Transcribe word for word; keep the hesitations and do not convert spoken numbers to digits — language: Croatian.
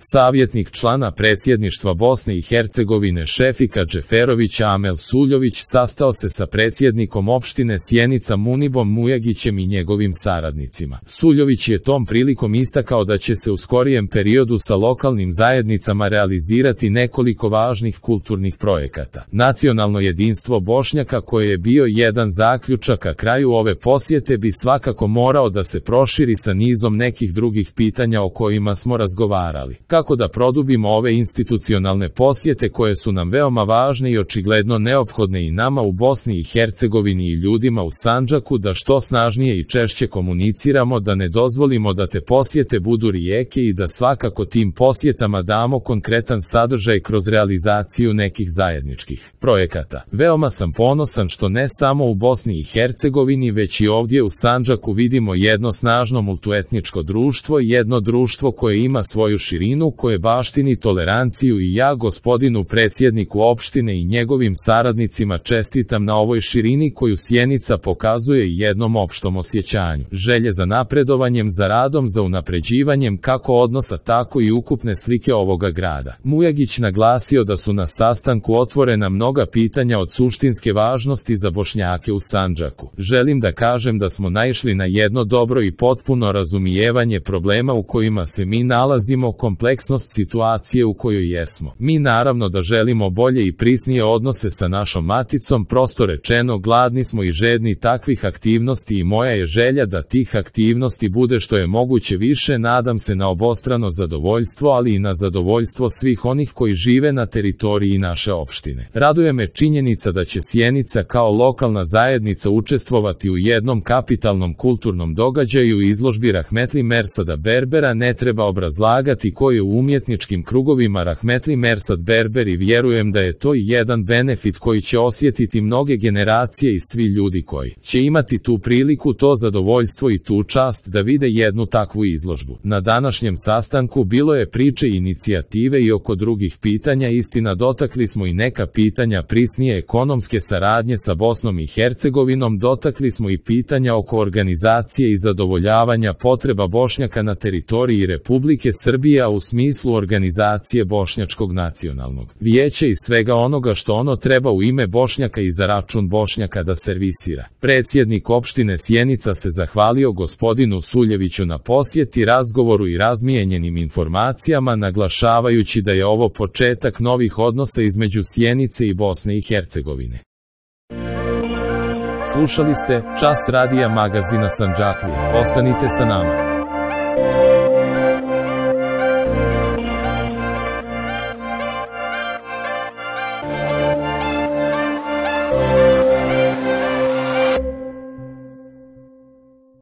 Savjetnik člana predsjedništva Bosne i Hercegovine Šefika Džeferović Amel Suljović sastao se sa predsjednikom opštine Sjenica Munibom Mujagićem i njegovim saradnicima. Suljović je tom prilikom istakao da će se u skorijem periodu sa lokalnim zajednicama realizirati nekoliko važnih kulturnih projekata. Nacionalno jedinstvo Bošnjaka, koje je bio jedan zaključak, a kraju ove posjete bi svakako morao da se proširi sa nizom nekih drugih pitanja o kojima smo razgovarali. Kako da produbimo ove institucionalne posjete koje su nam veoma važne i očigledno neophodne i nama u Bosni i Hercegovini i ljudima u Sandžaku, da što snažnije i češće komuniciramo, da ne dozvolimo da te posjete budu rijeke i da svakako tim posjetama damo konkretan sadržaj kroz realizaciju nekih zajedničkih projekata. Veoma sam ponosan što ne samo u Bosni i Hercegovini, već i ovdje u Sandžaku vidimo jedno snažno multietničko društvo, jedno društvo koje ima svoju širinu, koje baštini toleranciju, i ja gospodinu predsjedniku opštine i njegovim saradnicima čestitam na ovoj širini koju Sjenica pokazuje i jednom opštom osjećanju želje za napredovanjem, za radom, za unapređivanjem kako odnosa, tako i ukupne slike ovoga grada. Mujagić naglasio da su na sastanku otvorena mnoga pitanja od suštinske važnosti za Bošnjake u Sandžaku. Želim da kažem da smo naišli na jedno dobro i potpuno razumijevanje problema u kojima se mi nalazimo, kompleksnost situacije u kojoj jesmo. Mi naravno da želimo bolje i prisnije odnose sa našom maticom, prosto rečeno gladni smo i žedni takvih aktivnosti i moja je želja da tih aktivnosti bude što je moguće više, nadam se na obostrano zadovoljstvo, ali i na zadovoljstvo svih onih koji žive na teritoriji naše opštine. Raduje me činjenica da će Sjenica kao lokalna zajednica učestvovati u jednom kapitalnom kulturnom događaju i izložbi Rahmetli Mersada Berbera. Ne treba obrazlagati ko je u umjetničkim krugovima Rahmetli Mersad Berber i vjerujem da je to i jedan benefit koji će osjetiti mnoge generacije i svi ljudi koji će imati tu priliku, to zadovoljstvo i tu čast da vide jednu takvu izložbu. Na današnjem sastanku bilo je priče i inicijative i oko drugih pitanja, istina dotakli smo i neka pitanja prisnije ekonomske saradnje sa Bosnom i Hercegovinom, dotakli smo i pitanja oko organizacije i zadovoljavanja potreba Bošnjaka na teritoriji Republike Srbije, a u smislu organizacije Bošnjačkog nacionalnog vijeća i svega onoga što ono treba u ime Bošnjaka i za račun Bošnjaka da servisira. Predsjednik opštine Sjenica se zahvalio gospodinu Suljeviću na posjeti, razgovoru i razmijenjenim informacijama, naglašavajući da je ovo početak novih odnosa između Sjenice i Bosne i Hercegovine. Slušali ste Čas radija magazina Sandžaklije. Ostanite sa nama.